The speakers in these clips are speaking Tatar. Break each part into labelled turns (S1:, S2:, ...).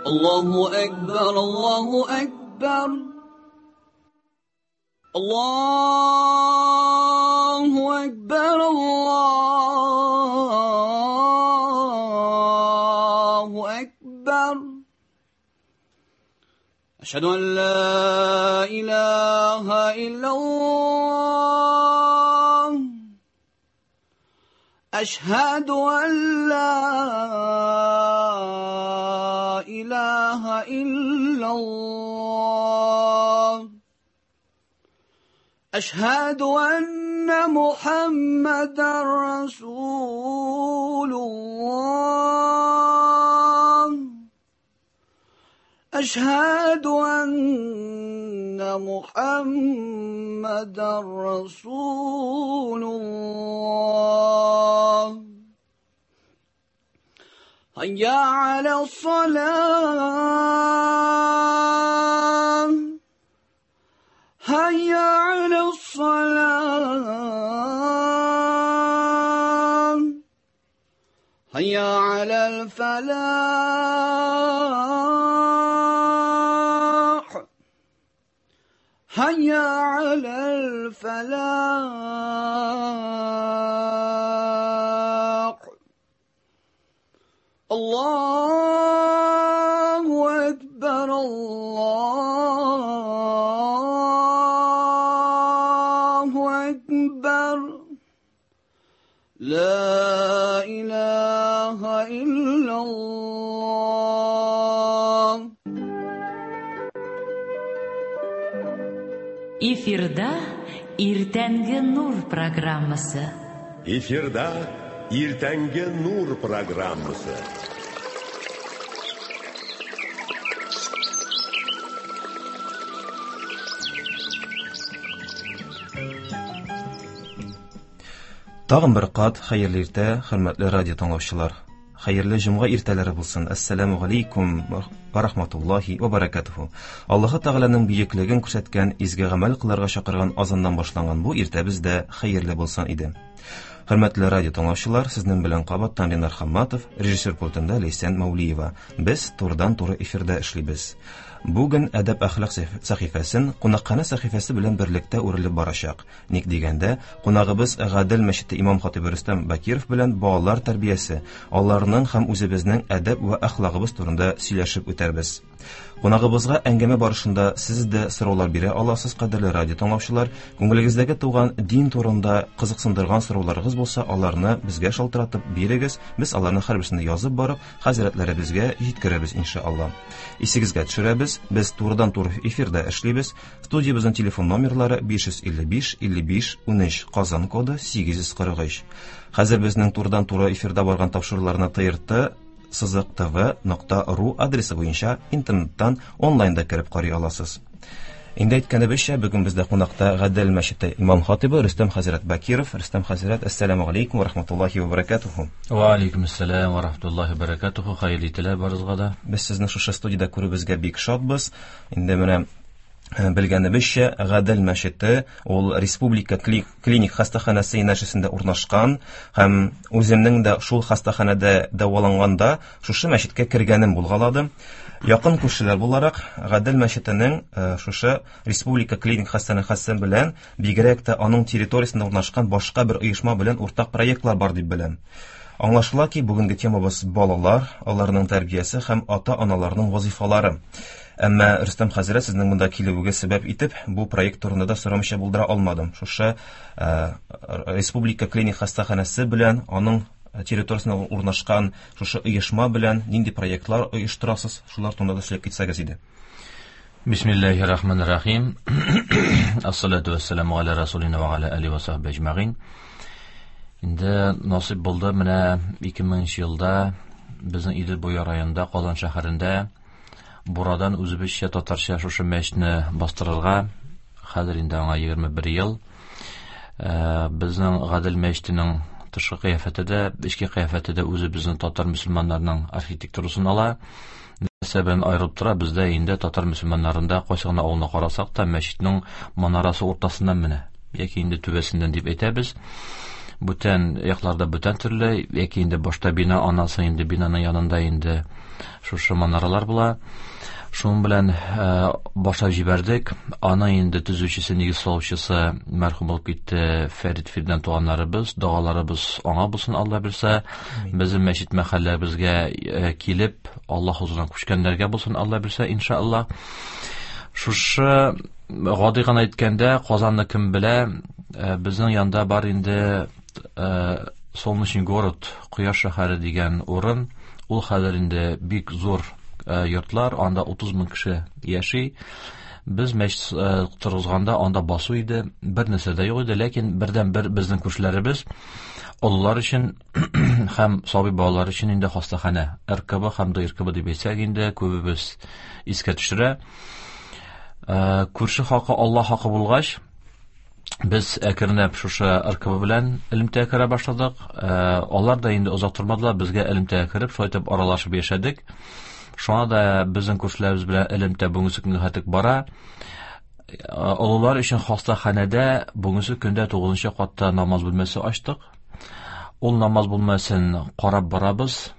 S1: الله أكبر الله أكبر الله أكبر الله أكبر أشهد أن لا إله إلا الله أشهد أن لا إله إلا الله أشهد أن محمدا رسول الله أشهد أن محمدا رسول الله هيا على الصلاة هيا على الصلاة هيا على الفلاح هيا على الفلاح الله أكبر الله أكبر لا إله إلا الله.
S2: Эфирда Иртәнге нур программасы.
S3: Эфирда Иртәнге нур программасы.
S4: Тагын бер кат хәерле иртә, хөрмәтле радио тыңлаучылар. Хәерле җомга иртәләре булсын. Әссәламу галәйкүм ва рахматуллаһи ва баракатуху. Аллаһы Тәгаләнең бөеклеген күрсәткән, изге гамәл кылырга чакырган азаннан башланган бу иртәбез дә хәерле булсын иде. Хөрмәтле радио тыңлаучылар, сезнең белән кабаттан Ленар Хамматов, режиссер пультында Ләйсән Мәүлиева. Без турыдан-туры эфирда эшлибез. Бүген әдәп әхлак сәхифәсен кунакханә сәхифәсе белән берлектә үрелеп барачак. Ник дигәндә, кунагыбыз Гадел мәчете имам хатибы Рөстәм Бакиров белән балалар тәрбиясе, аларның һәм үзебезнең әдәп вә әхлагыбыз турында сөйләшеп үтәрбез. Кунагыбызга әңгәмә барышында сез дә сораулар бирә аласыз, кадерле радио тыңлаучылар. Күңелегездәге туган дин турында кызыксындырган сорауларыгыз булса, аларны безгә шалтыратып бирегез. Без аларны һәрберсен язып барып, хәзрәтләребезгә җиткерәбез иншалла. Исегезгә төшерәбез, без турыдан-туры эфирда эшлибез. Студиябезнең телефон номерлары 555 55 13, Казан коды 843. Хәзер безнең турыдан-туры эфирда барган тапшыруларны ТРТ сызык tv.ru адресы буенча интернеттан онлайнда кереп карый аласыз. Инде әйткәнебезчә, бүген бездә кунакта Гадел мәчете имам хатибы Рөстәм хәзрәт Бакиров. Рөстәм хәзрәт, әссәламу алейкум ва рахматуллахи ва баракатуху.
S5: Ва алейкум ассалам ва рахматуллахи ва баракатуху. Хәерле иртәләр барыгызга да.
S4: Без сезне шушы студиядә күрүебезгә бик шатбыз. Инде менә белгәнебезчә, Гадел мәчете ул республика клиник хастаханәсе янәшәсендә урнашкан һәм үземнең дә шул хастаханәдә дәваланганда шушы мәчеткә кергәнем булгалады. Якын күршеләр буларак, Гадел мәчетенең шушы республика клиник хастаханәсе белән, бигрәк тә аның территориясендә урнашкан башка бер оешма белән уртак проектлар бар дип беләм. Аңлашыла ки, бүгенге темабыз балалар, аларның тәрбиясе һәм ата-аналарның вазифалары. Әмма Рөстәм хәзрәт, сезнең монда килүегез сәбәп итеп, бу проект турында да сорамыйча булдыра алмадым. Шушы республика клиник хастаханәсе белән, аның территориясендә урнашкан шушы оешма белән нинди проектлар оештырасыз, шулар турында да сөйләп китсәгез иде.
S5: Бисмиллахир-рахманир-рахим. Ассалату вассаламу аля расулина ва аля алихи ва сахбихи ажмаин. Инде насип булды менә 2000 елда безнең Идел буе районында, Казан шәһәрендә Бурадан үзебезчә татарча шушы мәчетне бастырырга. Хәзер инде аңа 21 ел. Безнең Гадел мәчетенең тышкы кыяфәте дә, эчке кыяфәте дә үзебезнең татар мөселманнарының архитектурасын ала. Нәрсә белән аерылып тора? Бездә инде татар мөселманнарында кайсы гына авылны карасак та, мәчетнең манарасы уртасыннан менә, яки инде түбәсеннән дип әйтәбез. Бүтән якларда бүтән төрле, яки инде башта бина, аннан соң инде бинаның янында инде шушы манаралар була. Шуның белән башлап җибәрдек. Аны инде төзүчесе, нигез салучысы мәрхүм булып китте Фәрит Фирдән туганнарыбыз, догаларыбыз аңа булсын, Алла бирсә. Безнең мәчет мәхәлләбезгә килеп, Аллаһ хузурына күчкәннәргә булсын, Алла бирсә, иншалла. Шушы гади гына әйткәндә, Казанны кем белә, безнең янда бар инде Солнечный город, Кояш шәһәре дигән урын. Ул хәзер инде бик зур йортлар, анда 30 мең кеше яши. Без мәчет торгызганда анда басу иде, бер нәрсә дә юк иде, ләкин бердән-бер безнең күршеләребез олылар өчен һәм сабый балалар өчен инде хастаханә, РКБ һәм ДРКБ дип әйтсәк инде күбебез искә төшерә. Күрше хакы Алла хакы булгач, без әкренләп шушы РКБ белән элемтәгә керә башладык. Алар да инде озак тормадылар, безгә элемтәгә кереп, шулай итеп аралашып яшәдек. Шуңа да безнең күршеләребез белән элемтә бүгенге көнгә хәтлек бара. Олылар өчен хастаханәдә бүгенге көндә 9 катта намаз бүлмәсе ачтык. Ул намаз бүлмәсен карап барабыз.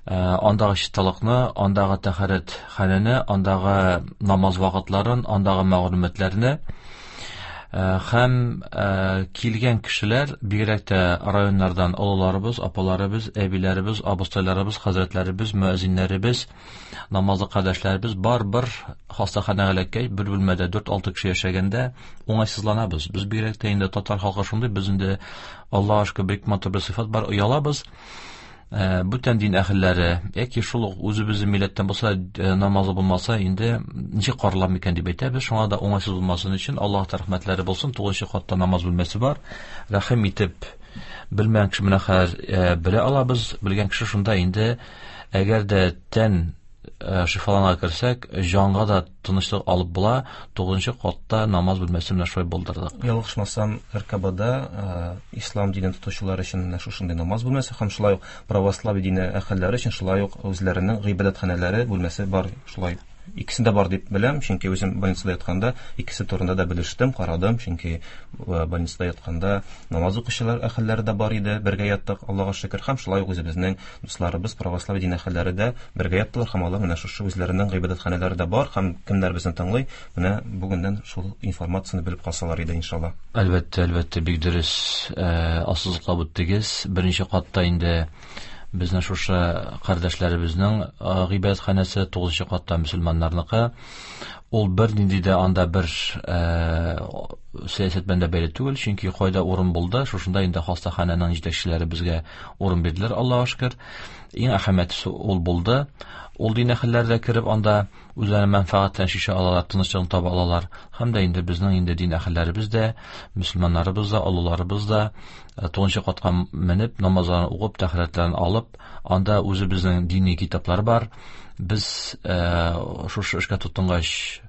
S5: Андагы чисталыкны, андагы тәһарәт ханәне, андагы намаз вакытларын, андагы мәгълүматларны һәм килгән кешеләр, бигрәк тә районнардан олыларыбыз, апаларыбыз, әбиләребез, абыстайларыбыз, хәзрәтләребез, мөәзиннәребез, намазлы кардәшләребез бар бер хастаханәгә эләккәч, бер бүлмәдә 4-6 кеше яшәгәндә уңайсызланабыз. Без бигрәк тә инде татар халкы шундый, без инде Аллаһка шөкер бик матур бер сыйфат бар, оялабыз. Бүтән дин әһелләре яки шул ук үзебезнең милләттән булса, намазы булмаса, инде ничек каралам микән дип әйтәбез. Шуңа да уңайсыз булмасын өчен Аллаһ рәхмәтләре булсын, 9 катта намаз бүлмәсе бар. Рәхим итеп белмәгән кеше менә хәзер белә алабыз. Белгән кеше шунда инде, әгәр дә тән шифаланга керсәк, җанга да тынычлык алып була. 9 катта намаз бүлмәсе менә шулай булдырдык.
S4: Ялгышмасам, РКБда ислам динен тотучылар өчен менә шушындый намаз бүлмәсе һәм шулай ук православие дине әһелләре өчен шулай ук үзләренең гыйбадәтханәләре бүлмәсе бар. Шулай икесендә бар дип беләм, чөнки үзем больницада ятканда икесе турында да белештем, карадым, чөнки больницада ятканда намаз укучылар әһелләре дә бар иде, бергә яттык, Аллага шөкер, һәм шулай ук үзебезнең дусларыбыз православие дин әһелләре дә бергә яттылар, һәм алар менә шушы үзләренең гыйбадәтханәләре дә бар, һәм кемнәр безне тыңлый, менә бүгеннән шул информацияне белеп калсалар иде, иншалла.
S5: Әлбәттә, әлбәттә, бик дөрес ассызыклап үттегез. Беренче катта инде безнең шушы кардәшләребезнең гыйбадәтханәсе, 9 катта мөселманнарныкы. Ул бер нинди дә анда бер сәясәт белән дә бәйле түгел, чөнки кайда урын булды, шушында инде хастаханәнең җитәкчеләре безгә урын бирделәр, Аллаһка шөкер. Иң әһәмиятлесе ул булды. Ул дин әһелләре дә кереп анда үзләренең мәнфәгатьләрен чишә алалар, тынычлыгын таба алалар. Һәм дә инде безнең инде дин әһелләребез дә, мөселманнарыбыз да, олыларыбыз да 9 катка менеп, намазларын укып, тәһарәтләрен алып, анда үзебезнең дини китаплар бар. Без шушы эшкә тотынгач,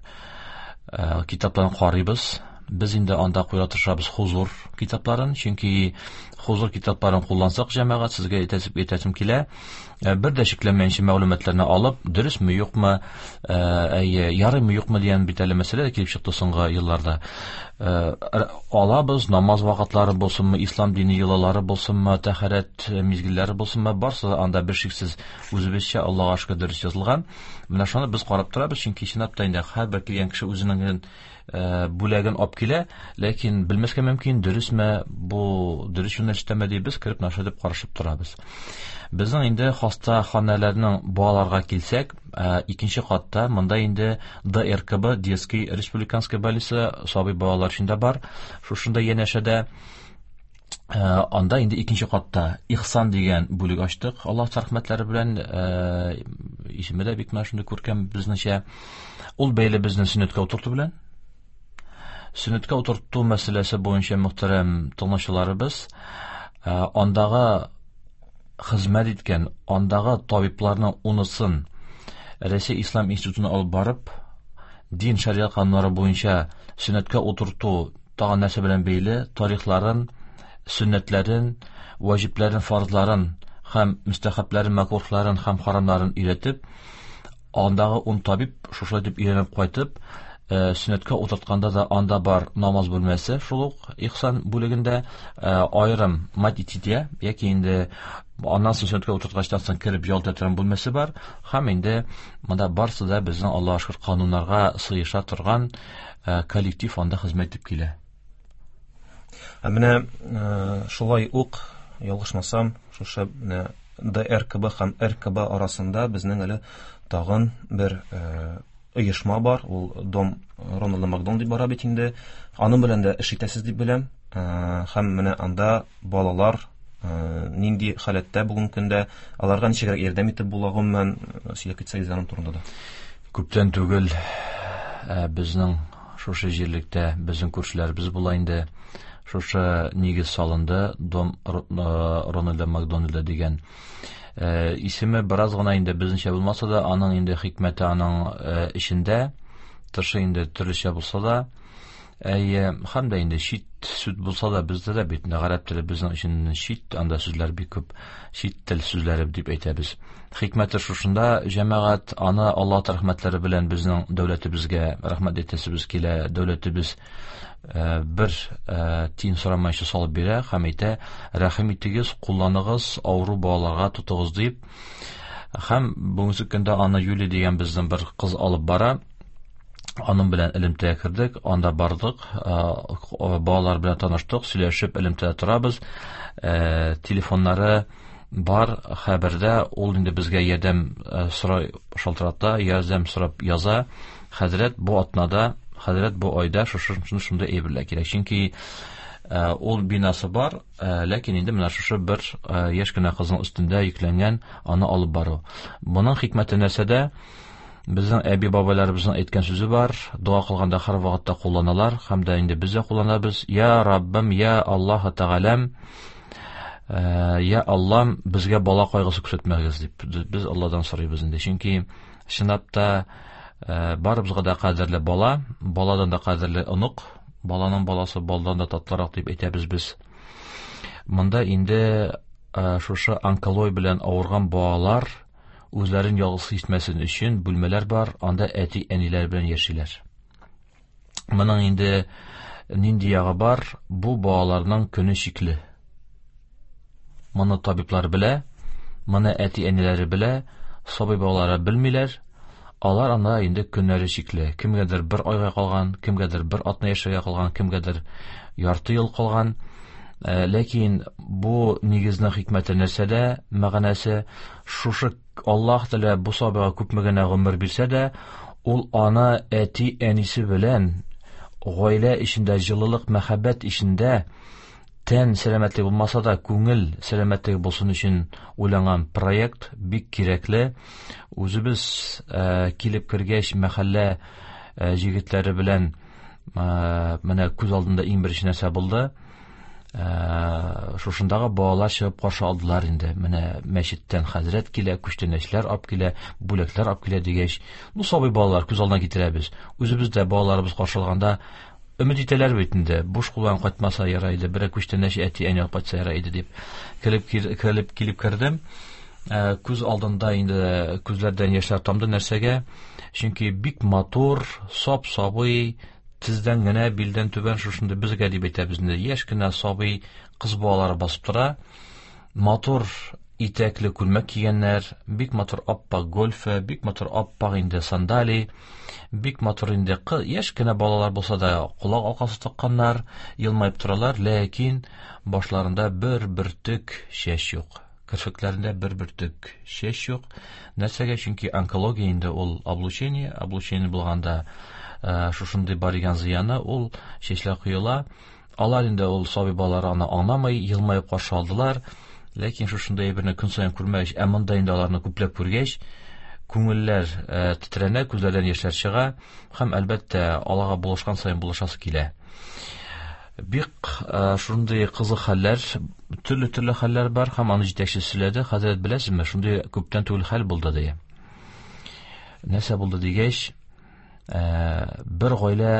S5: китапларын карыйбыз. Без инде анда куя тырышабыз хузур китапларын, чөнки хузур китапларын куллансак, җәмәгать, сезгә әйтәсем килә, бер дә шикләнмәенчә мәгълүматларны алып, дөресме, юкмы, әйе, ярыймы, юкмы дигән бит әле мәсьәлә дә килеп чыкты соңгы елларда. Алабыз, намаз вакытлары булсынмы, ислам дине йолалары булсынмы, тәһарәт мизгелләре булсынмы, барсы да анда бер шиксез үзебезчә Аллаһка шөкер дөрес язылган. Менә шуны без карап торабыз, чөнки чынлап та инде һәрбер килгән кеше үзенең бүләген алып килә, ләкин белмәскә мөмкин, дөресме, бу дөрес юнәлештәме дип без кереп наша дип карашып торабыз. Безнең инде хастаханәләрнең балаларга килсәк, икенче катта монда инде ДРКБ, детский республиканская больница, сабый балалар өчен дә бар. Шушында янәшәдә анда инде икенче катта Ихсан дигән бүлек ачтык. Аллаһ рәхмәтләре белән, исеме дә бик менә шундый күркәм безнеңчә. Ул бәйле безнең сөннәткә утырту белән. Сөннәткә утырту мәсьәләсе буенча мөхтәрәм тыңлаучыларыбыз, андагы хезмәт иткән, андагы табибларның унысын Рәсәй Ислам институтына алып барып, дин шариат кануннары буенча сөннәткә утырту тагын нәрсә белән бәйле, тарихларын, сөннәтләрен, ваҗибләрен, фарзларын һәм мөстәхәбләрен, мәкруһларын һәм харамнарын өйрәтеп, андагы 10 табиб шушылай дип өйрәнеп кайтып, Сөннәткә утыртканда да анда бар намаз бүлмәсе, шул ук Ихсан бүлегендә аерым мать и дитя, яки инде аннан соң сөннәткә утырткачтан соң кереп ял итә торган бүлмәсе бар. Һәм инде монда барысы да безнең, Аллаһка шөкер, кануннарга сыеша торган коллектив анда хезмәт итеп килә.
S4: Ә менә шулай ук, ялгышмасам, шушы менә ДРКБ һәм РКБ арасында безнең әле тагын бер оешма бар, ул Дом Рональда Макдональд дип бара бит инде. Аның белән дә эш итәсез дип беләм. Һәм менә анда балалар нинди халәттә бүгенге көндә, аларга ничегрәк ярдәм итеп була, гомумән, сөйләп китсәгез аның турында да.
S5: Күптән түгел безнең шушы җирлектә безнең күршеләребез була инде. Шушы нигез салынды, Дом Рональда Макдональда дигән. Исеме бераз гына инде безнеңчә булмаса да, аның инде хикмәте аның эчендә, тышы инде төрлечә булса да, әйе, һәм дә инде чит сүз булса да, бездә дә бит гарәп теле безнең өчен чит, анда сүзләр бик күп, чит тел сүзләре дип әйтәбез. Хикмәте шушында, җәмәгать, аны Аллаһ рәхмәтләре белән безнең дәүләтебезгә рәхмәт әйтәсебез килә. Дәүләтебез бер тиен сорамайча салып бирә һәм әйтә: рәхим итегез, кулланыгыз, авыру балаларга тотыгыз дип. Һәм бүгенге көндә аны Юлия дигән безнең бер кыз алып бара. Аның белән элемтәгә кердек, анда бардык, балалар белән таныштык, сөйләшеп элемтәдә торабыз. Телефоннары бар хәбәрдә, ул инде безгә ярдәм сорай шалтырата, ярдәм сорап яза. Хәзрәт, бу атнада, хәзрәт, бу айда шушы шундый әйберләр кирәк. Чөнки ул бинасы бар, ләкин инде менә шушы бер яшь кенә кызның өстендә йөкләнгән аны алып бару. Моның хикмәте нәрсәдә? Безнең әби-бабайларыбызның әйткән сүзе бар, дога кылганда һәр вакытта кулланалар, һәм дә инде без дә кулланабыз. Я Раббым, я Аллаһ Тәгаләм, я Аллам, безгә бала кайгысы күрсәтмәгез дип без Алладан сорыйбыз инде. Чөнки чынлап та барыбызга да кадерле бала, баладан да кадерле онык, баланың баласы балдан да татлырак дип әйтәбез без. Монда инде шушы онкология белән авырган балалар үзләрен ялгыз хис итмәсен өчен бүлмәләр бар, анда әти-әниләр белән яшиләр. Моның инде нинди ягы бар? Бу балаларның көне чикле. Моны табиблар белә, моны әти-әниләре белә, сабый балалары белмиләр. Алар анда инде көннәре чикле. Кемгәдер бер айга калган, кемгәдер бер атна яшәргә калган, кемгәдер ярты ел калган. Ләкин бу нигезнең хикмәте нәрсәдә? Мәгънәсе шушы: Аллаһ Тәгалә бу сабыйга күпме генә гомер бирсә дә, ул аны әти-әнисе белән гаилә эчендә, җылылык, мәхәббәт эчендә, тән сәламәтлеге булмаса да, күңел сәламәтлеге булсын өчен уйланган проект бик кирәкле. Үзебез килеп кергәч, мәхәллә җегетләре белән менә күз алдында иң беренче нәрсә булды? Шушындагы балалар чыгып каршы алдылар инде. Менә мәчеттән хәзрәт килә, күчтәнәчләр алып килә, бүләкләр алып килә дигәч, ну сабый балалар күз алдына китерәбез. Үзебез дә балаларыбыз каршы алганда өмет итәләр бит инде, буш кулдан кайтмаса ярар иде, берәр күчтәнәч әти-әни алып кайтса ярар иде дип. Кереп килеп кердем. Күз алдында инде күзләрдән яшьләр тамды. Нәрсәгә? Чөнки бик матур, сап-сабый, тездән генә, билдән түбән шушында безгә дип әйтәбез инде, яшь кенә сабый кыз балалары басып тора. Матур итәкле күлмәк кигәннәр, бик матур аппак гольфе, бик матур аппак инде сандали, бик матур инде яшь кенә балалар булса да колак алкасы такканнар, елмаеп торалар, ләкин башларында бер бөртек чәч юк. Керфекләрендә бер бөртек чәч юк. Нәрсәгә? Чөнки онкология инде ул облучение, облучение булганда шушындый бар икән зыяны, ул чәчләр коела. Алар инде ул сабый балалар аны аңламый, елмаеп каршы алдылар. Ләкин шушындый әйберне көн саен күрмәгәч, ә монда инде аларны күпләп күргәч, күңелләр тетрәнә, күзләрдән яшьләр чыга һәм әлбәттә аларга булышкан саен булышасы килә. Бик шундый кызык хәлләр, төрле-төрле хәлләр бар һәм аны җитәкче сөйләде. Хәзрәт, беләсезме, шундый күптән түгел хәл булды ди. Нәрсә булды дигәч, бер гаилә,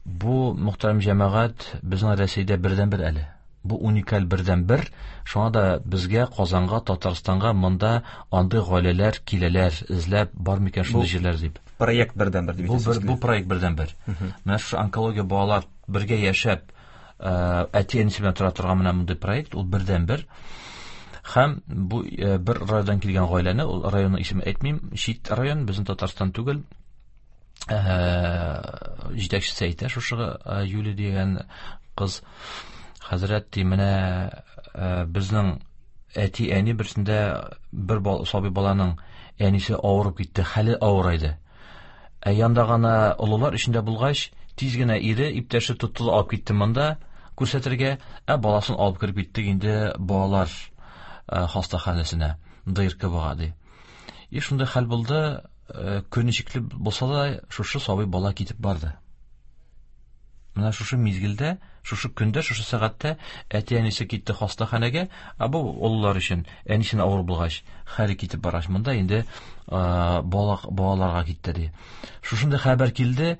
S5: бу мөхтәрәм җәмәгать безнең Рәсәйдә бердәнбер әле. Бу уникаль бердәнбер. Шуңа да безгә, Казанга, Татарстанга монда андый гаиләләр киләләр, эзләп бар микән шундый җирләр дип.
S4: проект бердәнбер дип
S5: Бу
S4: әйтәсез
S5: бер, бу проект бердәнбер. Менә шушы онкология балалар бергә яшәп, әти-әнисе белән тора торган менә мондый проект, ул бердәнбер. Һәм бу бер районнан килгән гаиләне, ул районның исемен әйтмим, чит район, безнең Татарстан түгел. Җитәкчесе әйтә, шушы Юлия дигән кыз, хәзрәт ди, менә безнең әти-әни берсендә бер сабый баланың әнисе авырып китте, хәле авырайды. Ә янда гына олылар эчендә булгач, тиз генә ире, иптәше тотты да алып китте монда күрсәтергә, ә баласын алып кереп киттек инде балалар хастаханәсенә, ДРКБга ди. И шундый хәл булды, көн ничекле булса да, шушы сабый бала китеп барды. Менә шушы мизгелдә, шушы көндә, шушы сәгатьтә әти-әнисе китте хастаханәгә, ә бу олылар өчен әнисенә авыр булгач, хәле китеп баргач, монда инде балаларга китте ди. Шушындый хәбәр килде,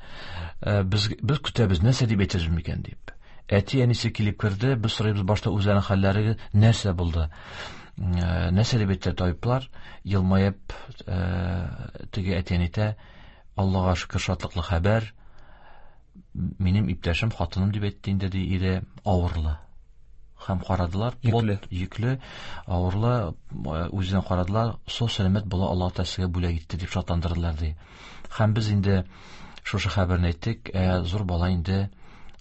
S5: без көтәбез, нәрсә дип әйтербез микән дип. Әти-әнисе килеп керде, без сорыйбыз башта үзләренең хәлләре нәрсә булды. Нәрсә дип әйтте табиблар, елмаеп, теге әти-әни әйтә, Аллага шөкер, шатлыклы хәбәр. Минем иптәшем, хатыным дип әйтте инде, ди, ире авырлы. Һәм карадылар,
S4: Йөкле.
S5: Йөкле, авырлы, үзенә карадылар, сау сәламәт бала Аллаһ Тәгалә сезгә бүләк итте дип шатландырдылар, ди. Һәм без инде шушы хәбәрне әйттек, зур бала инде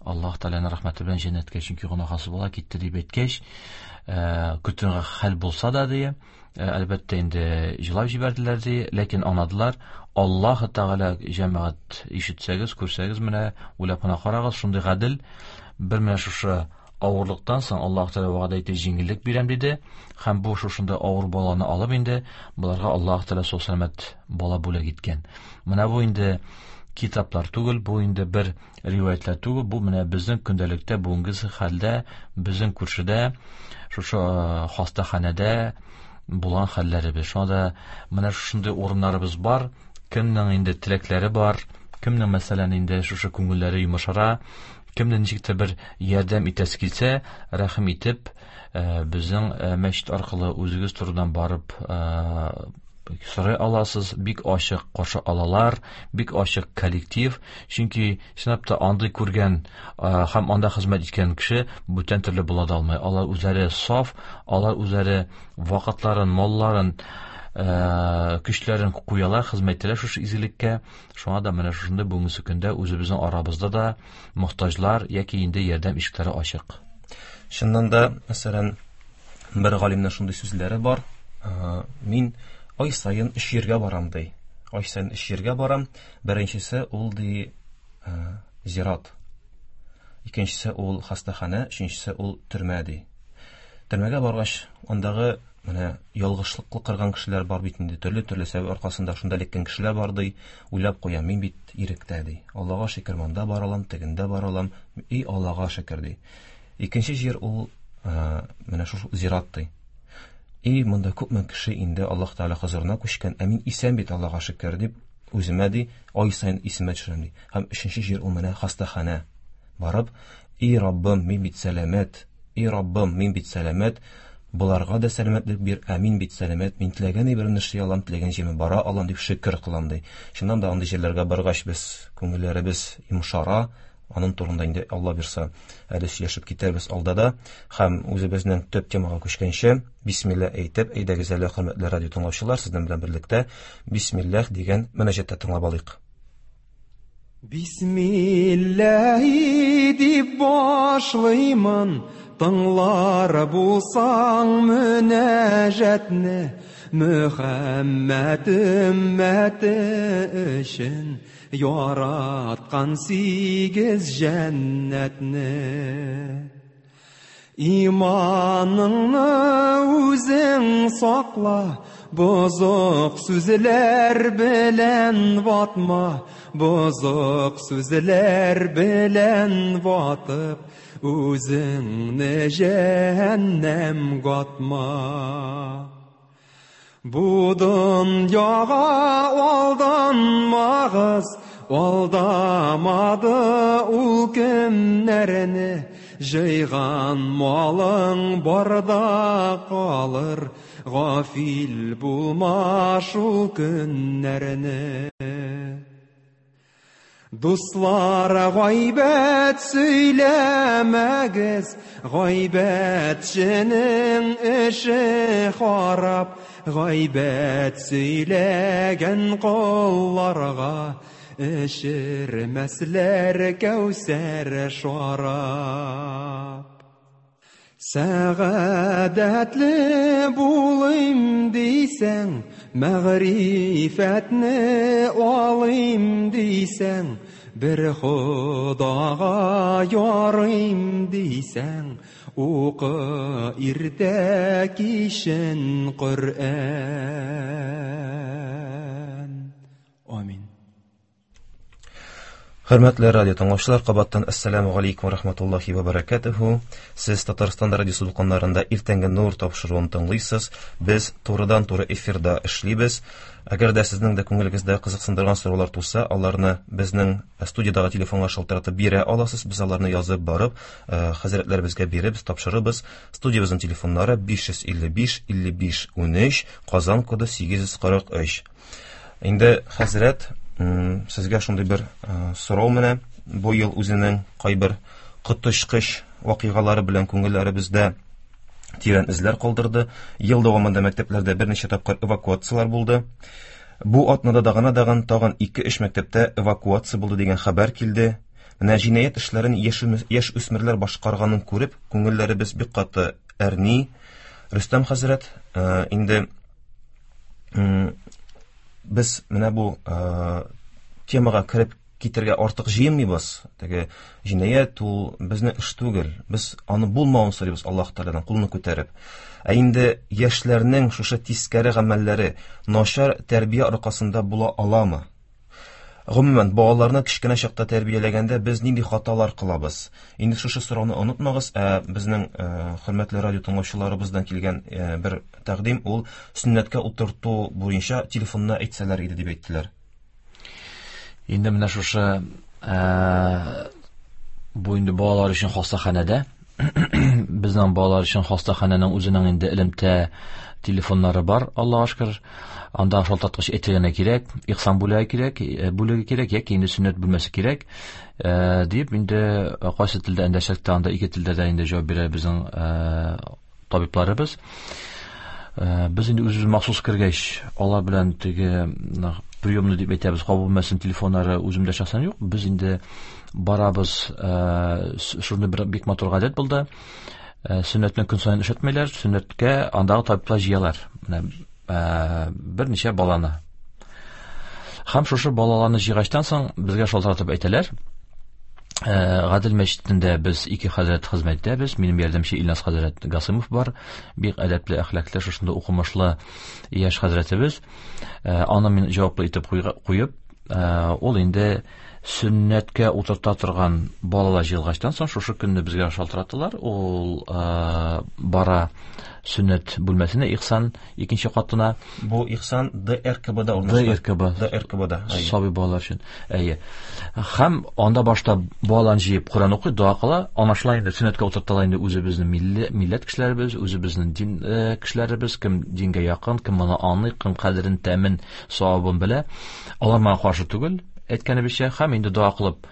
S5: Аллаһ Тәгаләнең рәхмәте белән җәннәткә, чөнки гөнаһсыз бала китте дип әйткәч, көтүгә хәл булса да, ди, әлбәттә инде җылап җибәрделәр, ди, ләкин аңладылар. Аллаһ Тәгалә, җәмәгать, ишетсәгез, күрсәгез, менә уйлап кына карагыз, шундый гадел, бер менә шушы авырлыктан соң Аллаһ Тәгалә вәгъдә итте, җиңеллек бирәм диде. Һәм бу шушында авыр баланы алып инде боларга Аллаһ Тәгалә сау сәламәт бала бүләк иткән. Менә бу инде китаплар түгел, бу инде бер риваятлар түгел, бу менә безнең көндәлектә, бүгенге хәлдә, безнең күршедә, шушы хастаханәдә булган хәлләребез. Шуңа да менә шушындый урыннарыбыз бар, кемнең инде теләкләре бар, кемнең, мәсәлән, инде шушы күңелләре йомшара, кемнең ничек тә бер ярдәм итәсе килсә, рәхим итеп, безнең мәчет аркылы үзегез турыдан барып сорый аласыз, бик ачык каршы алалар, бик ачык коллектив, чөнки чынлап та андый күргән һәм анда хезмәт иткән кеше бүтән төрле була да алмый. Алар үзләре саф, алар үзләре вакытларын, малларын, көчләрен куялар, хезмәт итәләр шушы изгелеккә. Шуңа да менә шушындый бүгенге көндә үзебезнең арабызда да мохтаҗлар яки инде ярдәм ишекләре ачык.
S4: Чыннан да, мәсәлән, бер галимнең шундый сүзләре бар. Мин ай саен 3 җиргә барам, ди. Ай саен 3 җиргә барам. Беренчесе ул, ди, зират. Икенчесе ул хастаханә, өченчесе ул төрмә, ди. Төрмәгә баргач, андагы менә ялгышлыклы кырган кешеләр бар бит инде, төрле-төрле сәбәп аркасында шунда эләккән кешеләр бар, ди. Уйлап куям, мин бит иректә, ди. Аллага шөкер, монда бара алам, тегендә бара алам. И Аллага шөкер, ди. Икенче җир ул, менә шул зират, ди. И монда күпме кеше инде Аллаһ Тәгалә хозурына күчкән, ә мин исән бит, Аллага шөкер, дип үземә, ди, ай саен исемә төшерәм, ди. Һәм өченче җир ул менә хастаханә. Барып, и Раббым, мин бит сәламәт, и Раббым, мин бит сәламәт, боларга да сәламәтлек бир, ә мин бит сәламәт, мин теләгән әйберне эшли алам, теләгән җиремә бара алам, дип шөкер кылам, ди. Чыннан да андый җирләргә баргач без күңелләребез йомшара, аның турында инде Алла бирса әле сөйләшеп китәрбез алда да. Һәм үзебезнең төп темага күчкәнче, бисмилла әйтеп, әйдәгез әле, хөрмәтле радио тыңлаучылар, сезнең белән берлектә бисмиллах дигән мөнәҗәттә тыңлап алыйк.
S1: Бисмиллахи дип башлыймын, тыңлар булсаң мөнәҗәтне, Мөхәммәд өммәте өчен яраткан 8 җәннәтне. Иманыңны үзең сакла, бозык сүзләр белән ватма, бозык сүзләр белән ватып, үзеңне җәһәннәм гатма. Бу дөньяга алданмагыз, алдамады ул кемнәрне, җыйган малың барда калыр, гафил булма шул көннәрне. Дуслар, гайбәт сөйләмәгез, гайбәтченең эше харап, гайбәт сөйләгән колларга эчермәсләр кәүсәр шарап. Сәгадәтле булыйм дисәң, мәгърифәтне алыйм дисәң, бер Ходага ярыйм дисәң, укы иртә кичен Коръән. Амин.
S4: Хөрмәтле радио тыңлаучылар, кабаттан ассаламу алейкум ва рахматуллахи ва баракатуху. Сез Татарстан радиосы дулкыннарында Иртәнге нур тапшыруын тыңлыйсыз. Без турыдан-туры эфирда эшлибез. Әгәр дә сезнең дә күңелегездә кызыксындырган сораулар туса, аларны безнең студиядагы телефонга шалтыратып бирә аласыз. Без аларны язып барып, хәзрәтләребезгә биреп, тапшырыбыз. Студиябезнең телефоннары 555 55 13, Казан коды 843. Инде хәзрәт, сезгә шундый бер сорау менә. Бу ел үзенең кайбер коточкыч вакыйгалары белән күңелләребездә тирән эзләр калдырды. Ел дәвамында мәктәпләрдә берничә тапкыр эвакуацияләр булды. Бу атнада да гына дагын тагын 2-3 мәктәптә эвакуация булды дигән хәбәр килде. Менә җинаять эшләрен яшь үсмерләр башкарганын күреп, күңелләребез бик каты әрни. Рөстәм хәзрәт, инде без менә бу темага кереп китергә артык җыенмыйбыз. Теге җинаять ул безнең эш түгел. Без аны булмавын сорыйбыз Аллаһ Тәгаләдән, кулны күтәреп. Ә инде яшьләрнең шушы тискәре гамәлләре начар тәрбия аркасында була аламы? Гомумән, балаларны кечкенә чакта тәрбияләгәндә без нинди хаталар кылабыз? Инде шушы сорауны онытмагыз, ә безнең хөрмәтле радио тыңлаучыларыбыздан килгән бер тәкъдим ул сөннәткә утырту буенча телефонны әйтсәләр иде дип әйттеләр.
S5: Инде менә шушы бу инде балалар өчен хастаханәдә безнең балалар өчен хастаханәнең үзенең инде элемтә телефоннары бар, Аллаһка шөкер. Анда шалтыраткыч әйтергә кирәк, ихсан бүлеге кирәк, бүлеге кирәк яки инде сөннәт бүлмәсе кирәк. Дип инде кайсы телдә эндәшсәк тә, анда ике телдә дә инде җавап бирә безнең табибларыбыз. Без инде үзебез махсус кергәч, алар белән теге приемный дип әйтәбез, кабул бүлмәсенең телефоннары үземдә шәхсән юк. Без инде барабыз, шундый бер бик матур гадәт булды. Сөннәтне көн саен эшләтмиләр, сөннәткә андагы табиблар җыялар. Менә берничә баланы. Һәм шушы балаларны җыйгачтан соң безгә шалтыратып әйтәләр. Гадел мәчетендә без ике хәзрәт хезмәт итәбез. Минем ярдәмче Илназ хәзрәт Гасымов бар. Бик әдәпле, әхлаклы, шушында укымышлы яшь хәзрәтебез. Аны мин җаваплы итеп куеп, ул инде сөннәткә утырта торган балалар җыелгачтан соң шушы көнне безгә шалтыраттылар. Ул бара сөннәт бүлмәсенә, Ихсан икенче катына.
S4: Бу Ихсан ДРКБда урнашкан.
S5: ДРКБ.
S4: ДРКБда, әйе.
S5: Сабый балалар өчен. Әйе. Һәм анда башта балаларны җыеп Коръән укый, дога кыла. Ана шулай инде сөннәткә утыртыла инде үзебезнең милләт кешеләребез, үзебезнең дин кешеләребез, кем дингә якын, кем моны аңлый, кем кадерен, тәмен, савабын белә. Алар моңа каршы түгел, әйткәнебезчә, һәм инде дога кылып,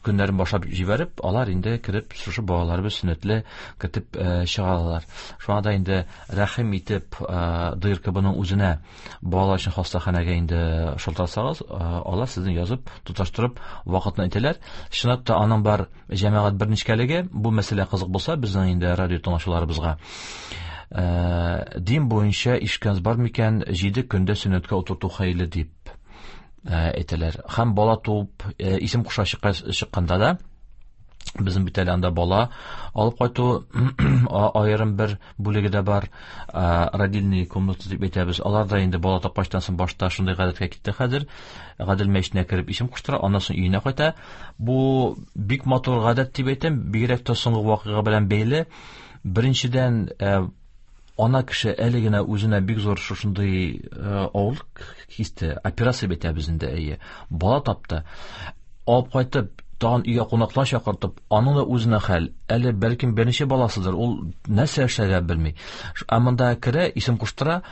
S5: көннәрен башлап җибәреп, алар инде кереп, шушы балаларыбыз сөннәтле кертеп чыга алалар. Шуңа да инде рәхим итеп, ДРКБның үзенә балалар өчен хастаханәгә инде шалтыратсагыз, алар сезне язып, тоташтырып вакытны әйтәләр. Чынлап та аның бар җәмәгать бер нечкәлеге, бу мәсьәлә кызык булса безнең инде радио тыңлаучыларыбызга. Дин буенча ишкәнс бар микән, 7 көндә сөннәткә утырту хәерле дип әйтәләр. Һәм бала туып, исем куша чыкканда да безнең бит әле анда бала алып кайту аерым бер бүлеге дә бар, родильный комната дип әйтәбез. Алар да инде бала тапкачтан соң башта шундый гадәткә китте хәзер. Гадел мәчетенә кереп исем куштыра, аннан соң өенә кайта. Бу бик матур гадәт дип әйтәм, бигрәк тә соңгы вакыйга белән бәйле. Беренчедән, ана кеше әле генә үзенә бик зур шушындый авырлык кисте, операция бит әйтәбез инде, әйе. Бала тапты. Алып кайтып, тагын өйгә кунаклар чакыртып, аның да үзенә хәл. Әле бәлкем берничә баласыдыр, ул нәрсә эшләргә белми. Ә монда керә, исем куштыра,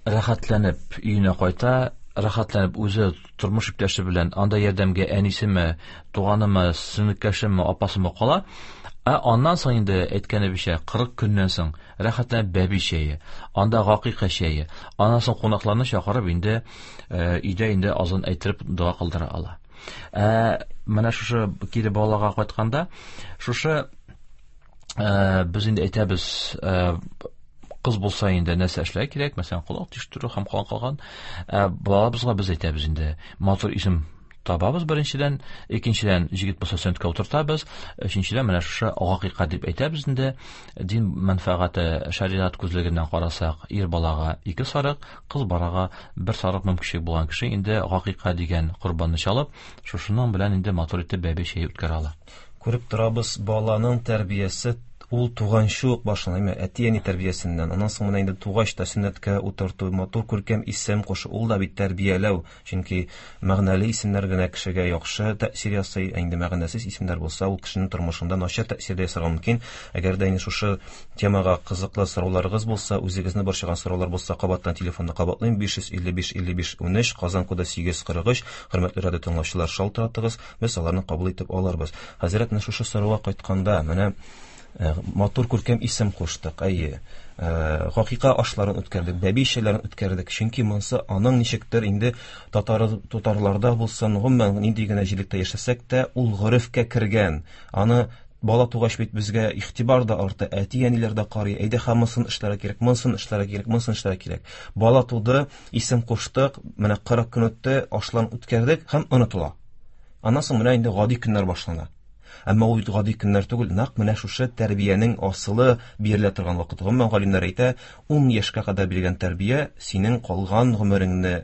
S5: рәхәтләнеп өенә кайта. Рәхәтләнеп үзе тормыш иптәше белән анда ярдәмгә әнисеме, туганымы, сеңлекәшеме, апасымы кала. Ә аннан соң инде әйткәнебезчә 40 көннән соң рәхәтләнеп бәби чәе, анда гакыйка чәе, аннан соң кунакларны чакырып инде өйдә инде азан әйттереп дога кылдыра ала. Ә менә шушы кире балага кайтканда, шушы без инде әйтәбез, кыз булса инде нәрсә эшләргә кирәк, мәсәлән, колак тиштерү һәм калган. Балабызга без әйтәбез инде, матур исем табабыз беренчедән, икенчедән җегет булса сөннәткә утыртабыз, өченчедән менә шушы гакыйка дип әйтәбез инде, дин мәнфәгате шәригать күзлегеннән карасак, ир балага 2 сарык, кыз балага 1 сарык мөмкинчелек булган кеше инде гакыйка дигән корбанны чалып, шушының белән инде матур итеп бәби чәе үткәрә ала.
S4: Күреп торабыз, баланың тәрбиясе ул туганчы ук башлана, әйме, әти-әни тәрбиясеннән. Аннан соң менә инде тугач та сөннәткә утырту, матур күркәм исем кушу, ул да бит тәрбияләү, чөнки мәгънәле исемнәр генә кешегә яхшы тәэсир ясый, ә инде мәгънәсез исемнәр булса, ул кешенең тормышында начар тәэсир дә ясарга мөмкин. Әгәр дә инде шушы темага кызыклы сорауларыгыз булса, үзегезне борчыган сораулар булса, кабаттан телефонны кабатлыйм: 555 55 13, Казан коды 843. Хөрмәтле радио тыңлаучылар, шалтыратыгыз, без аларны кабул итеп алырбыз. Хәзрәт, менә шушы сорауга кайтканда, менә матур күркәм исем куштык, әйе. Гакыйка ашларын үткәрдек, бәби чәйләрен үткәрдек, чөнки монысы аның ничектер инде татарларда булсын, гомумән нинди генә җирлектә яшәсәк тә, ул горефкә кергән. Аны бала тугач бит безгә игътибар да арта, әти-әниләр дә карый, әйдә һәм монысын эшләргә кирәк, монысын эшләргә кирәк, монысын эшләргә кирәк. Бала туды, исем куштык, менә 40 көн үтте, ашларын үткәрдек һәм онытыла. Аннан соң менә инде гади көннәр башлана. Әмма ул бит гади көннәр түгел, нәкъ менә шушы тәрбиянең асылы бирелә торган вакыт. Гомумән галимнәр әйтә, 10 яшькә кадәр биргән тәрбия синең калган гомереңне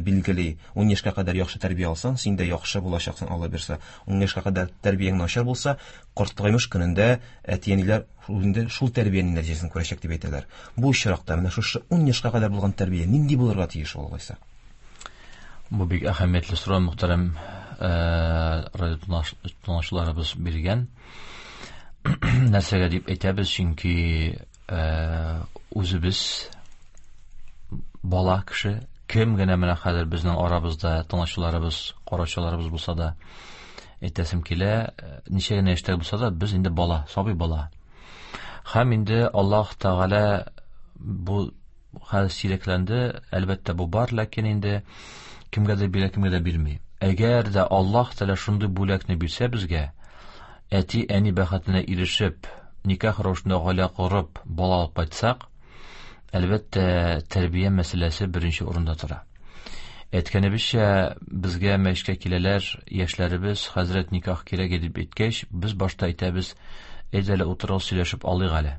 S4: билгели. 10 яшькә кадәр яхшы тәрбия алсаң, син дә яхшы булачаксың, Алла бирсә. 10 яшькә кадәр тәрбияң начар булса, картаймыш көнендә әти-әниләр инде шул тәрбиянең нәтиҗәсен күрәчәк дип әйтәләр. Бу очракта менә шушы 10 яшькә кадәр булган тәрбия нинди булырга тиеш ул алайса?
S5: Бу бик әһәмиятле сорау, мөхтәрәм радио тыңлаучыларыбыз биргән. Нәрсәгә дип әйтәбез, чөнки үзебез бала кеше, кем генә менә хәзер безнең арабызда тыңлаучыларыбыз, караучыларыбыз булса да, әйтәсем килә, ничә генә яшьтә булса да, без инде бала, сабый бала. Һәм инде Аллаһ Тәгалә бу хәл сирәкләнде, әлбәттә бу бар, ләкин инде кемгә дә бирә, кемгә дә бирми. Әгәр дә Аллаһ Тәгалә шундый бүләкне бирсә безгә, әти-әни бәхетенә ирешеп, никах рәвешендә гаилә корып, бала алып кайтсак, әлбәттә, тәрбия мәсьәләсе беренче урында тора. Әйткәнебезчә, безгә мәчеткә киләләр яшьләребез, хәзрәт никах кирәк дип әйткәч, без башта әйтәбез, әйдә әле утырып сөйләшеп алыйк әле.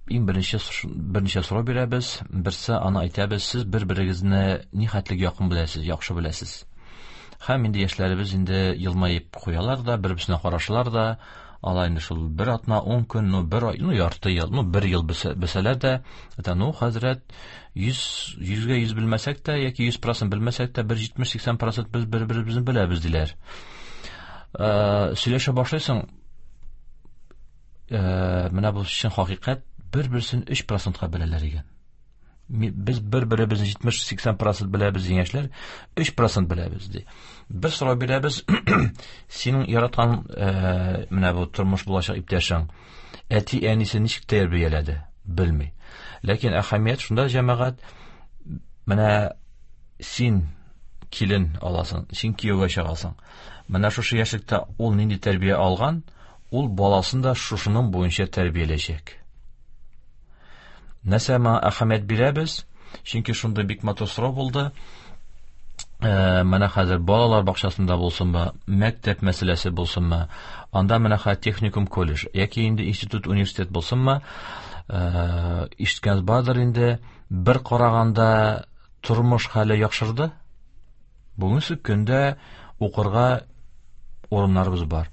S5: Иң беренче берничә сорау бирәбез. Берсе аны әйтәбез, сез бер-берегезне ни хәтлек якын беләсез, яхшы беләсез. Һәм инде яшьләребез инде елмаеп куялар да, бер-берсенә карашалар да, алар инде шул бер атна, 10 көн, ну бер ай, ну ярты ел, ну бер ел белсәләр дә, әйтә, ну хәзрәт, йөзгә йөз белмәсәк тә, яки йөз процент белмәсәк тә, бер җитмеш-сиксән процент без бер-беребезне беләбез, диләр. Сөйләшә башлыйсың, менә бу чын хакыйкать, бер-берсен өч процентка беләләр икән. Без бер-беребезне җитмеш-сиксән процент беләбез дигән яшьләр, өч процент беләбез, ди. Бер сорау бирәбез, синең яраткан менә бу тормыш булачак иптәшең, әти-әнисе ничек тәрбияләде, белми. Ләкин әһәмият шунда, җәмәгать, менә син килен аласың, син кияүгә чыгасың. Менә шушы яшьлектә ул нинди тәрбия алган, ул баласын да шушының буенча тәрбияләячәк. Нәрсә моңа әһәмият бирәбез? Чөнки шундый бик матур сорау булды. Менә хәзер балалар бакчасында булсынмы, мәктәп мәсьәләсе булсынмы, анда менә хәзер техникум, колледж яки инде институт, университет булсынмы, ишеткәнегез бардыр инде, бер караганда тормыш хәле яхшырды. Бүгенге көндә укырга урыннарыбыз бар.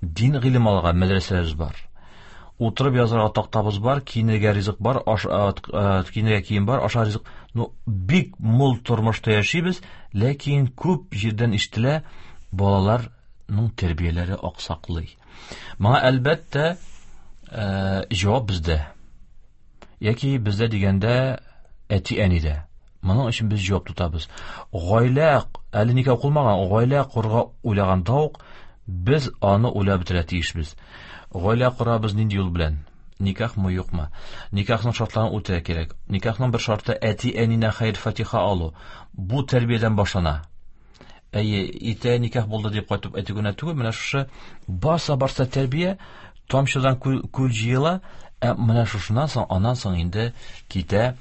S5: Дин гыйлем алырга мәдрәсәләребез бар. Утырып язарга тактабыз бар, киенергә ризык бар, киенергә кием бар, ашар ризык. Ну, бик мул тормышта яшибез, ләкин күп җирдән ишетелә, балаларның тәрбияләре аксаклый. Моңа әлбәттә, җавап бездә. Яки бездә дигәндә әти-әнидә. Моның өчен без җавап тотабыз. Гаилә әле никах кылмаган, гаилә корырга уйлаганда ук без аны уйлап бетерә тиешбез. Гаилә корабыз нинди юл белән? Никахмы, юкмы? Никахның шартларын үтәргә кирәк. Никахның бер шарты әти-әнинә хәер-фатиха алу. Бу тәрбиядән башлана. Әйе, иртә никах булды дип кайтып әйтү генә түгел, менә шушы барса-барса тәрбия, тамчыдан күл җыела, ә менә шушыннан соң, аннан соң инде китә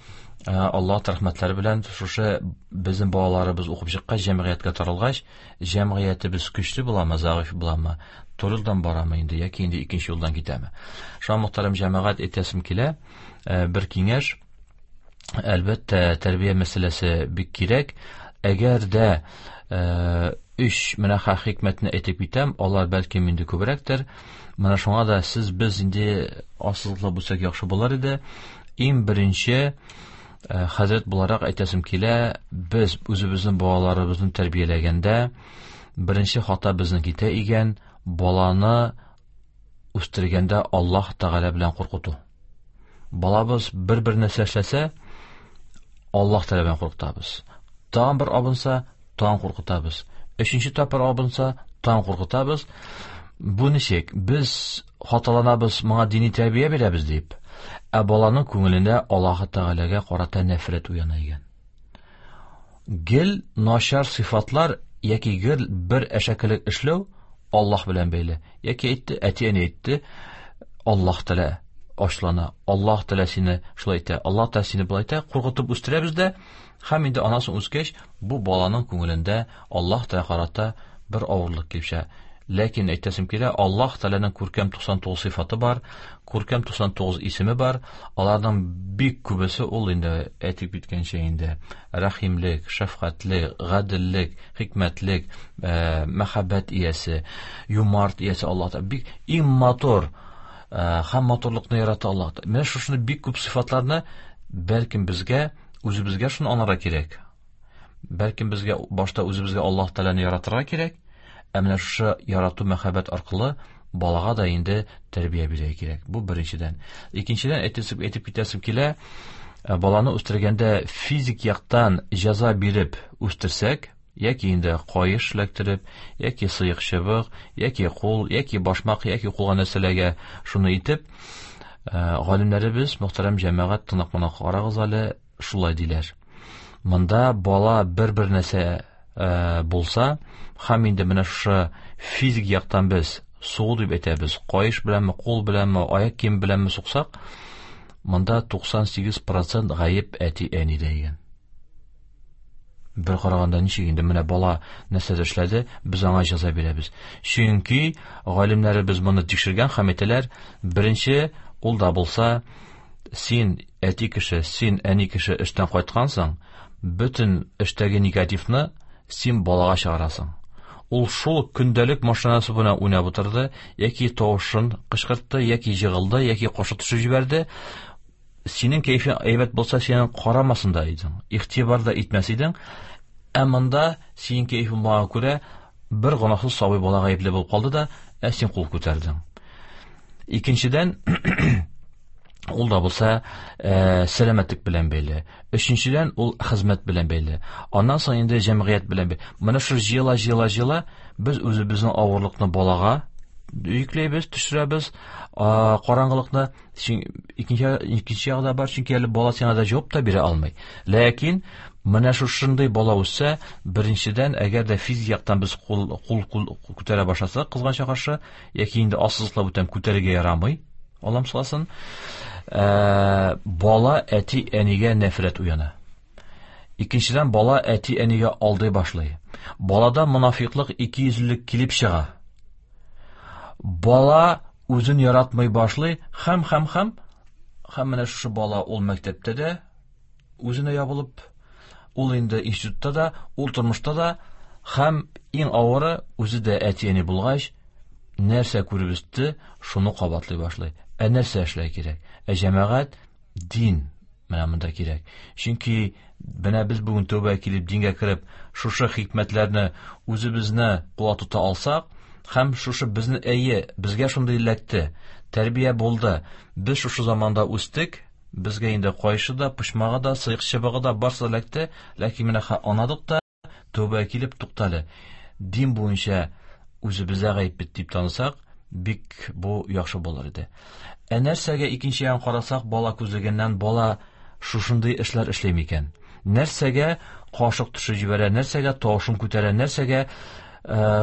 S5: Аллаһ рәхмәтләре белән шушы безнең балаларыбыз укып чыккач, җәмгыятькә таралгач, җәмгыятебез көчле буламы, зәгыйфь буламы, туры юлдан барамы инде, яки инде икенче юлдан китәме. Шуңа, мөхтәрәм җәмәгать, әйтәсем килә, бер киңәш, әлбәттә, тәрбия мәсьәләсе бик кирәк. Әгәр дә өч менә хикмәтне әйтеп китәм, алар бәлкем инде күбрәктер. Менә шуңа да сез без инде ассызыклап үтсәк яхшы булыр иде. Иң беренче хәзрәт буларак әйтәсем килә, без үзебезнең балаларыбызны тәрбияләгәндә беренче хата безнең китә икән, баланы үстергәндә Аллаһ Тәгалә белән куркыту. Балабыз бер-бер нәрсә эшләсә, Аллаһ Тәгалә белән куркытабыз. Тагын бер абынса, тагын куркытабыз. Өченче тапкыр абынса, тагын куркытабыз. Бу ничек? Без хаталанабыз, моңа дини тәрбия бирәбез дип. Ә баланың күңелендә Аллаһ Тәгаләгә карата нәфрәт уяна икән. Гел начар сыйфатлар яки гел бер әшәкелек эшләү Аллаһ белән бәйле. Яки әйтте, әти-әни әйтте, Аллаһ Тәгалә ачлана, Аллаһ Тәгалә сине шулай итә, Аллаһ Тәгалә сине болай итә, куркытып үстерәбез дә, һәм инде анасын үскәч, бу баланың күңелендә Аллаһ Тәгалә карата бер авырлык килеп чыга. Ләкин әйтәсем килә, Аллаһ Тәгаләнең күркәм 99 сыйфаты бар, күркәм 99 исеме бар. Аларның бик күбесе ул инде әйтеп киткәнчә инде рәхимлек, шәфкатьлек, гаделлек, хикмәтлек, мәхәббәт иясе, юмарт иясе Аллаһ Тәгалә. Бик иң матур һәм матурлыкны ярата Аллаһ Тәгалә. Менә шушыны бик күп сыйфатларны бәлкем безгә, үзебезгә шуны аңларга кирәк. Бәлкем безгә башта үзебезгә Аллаһ Тәгаләне яратырга кирәк, ә менә шушы ярату мәхәббәт аркылы балага да инде тәрбия бирергә кирәк. Бу беренчедән. Икенчедән, әйтеп китәсем килә, баланы үстергәндә физик яктан җәза биреп үстерсәк, яки инде каеш эләктереп, яки сыек чыбык, яки кул, яки башмак, яки кулга нәрсәләргә шуны итеп, галимнәребез, мөхтәрәм җәмәгать, тынып кына карагыз әле, шулай диләр. Монда бала бер-бер нәрсә булса, һәм инде менә шушы физик яктан без сугу дип әйтәбез, каеш беләнме, кул беләнме, аяк кием беләнме суксак, монда 98% гаеп әти-әнидә икән. Бер караганда ничек инде менә бала нәрсә эшләде, без аңа җәза бирәбез. Чөнки галимнәребез моны тикшергән һәм әйтәләр, беренче ул да булса, син әти кеше, син әни кеше эштән кайткансың, бөтен эштәге негативны син балага чыгарасың. Ул шул көндәлек машинасы белән уйнап утырды, яки тавышын кычкыртты, яки җыгылды, яки кашык төшереп җибәрде. Синең кәйфең әйбәт булса, синең карамасын да идең, игътибар да итмәс идең. Ә монда синең кәйфең булганга күрә бер гөнаһсыз сабый бала гаепле булып калды да, ә син кул күтәрдең. Икенчедән, ул да булса, сәламәтлек белән бәйле. Өченчедән, ул хезмәт белән бәйле. Аннан соң инде җәмгыять белән бәйле. Менә шул җыела, җыела, җыела, без үзебезнең авырлыкны балага йөкләйбез, төшерәбез, караңгылыкны. Икенче ягы да бар, чөнки әле бала сиңа да җавап та бирә алмый. Ләкин менә шушындый бала үссә, беренчедән, әгәр дә физик яктан без кул күтәрә башласак, кызганча каршы, яки инде ассызыклап үтәм, күтәрергә ярамый, Аллам сакласын, бала әти-әнигә нәфрәт уяна. Икенчедән, бала әти-әнигә алдый башлый. Балада монафиклык, икейөзлелек килеп чыга. Бала үзен яратмый башлый, һәм, һәм, һәм, һәм менә шушы бала ул мәктәптә дә үзенә ябылып, ул инде институтта да, ул тормышта да, һәм иң авыры үзе дә әти-әни булгач, нәрсә күреп үсте, шуны кабатлый башлый. Ә нәрсә эшләй кирәк? Ә җәмәгать, дин менә монда кирәк. Чөнки менә без бүген тәүбә килеп, дингә кереп, шушы хикмәтләрне үзебезне куа тота алсак, һәм шушы безне, әйе, безгә шундый эләкте, тәрбия булды, без шушы заманда үстек, Безгә инде кайшы да, почмагы да, сыек чыбыгы да барсы да эләкте, ләкин менә анадык та, тәүбә килеп туктале. Дин буенча үзебездә гаеп бит дип танысак, бик бу яхшы булыр иде. Ә нәрсәгә икенче ягын карасак, бала күзлегеннән бала шушындый эшләр эшли микән? Нәрсәгә кашык төшереп җибәрә, нәрсәгә тавышын күтәрә, нәрсәгә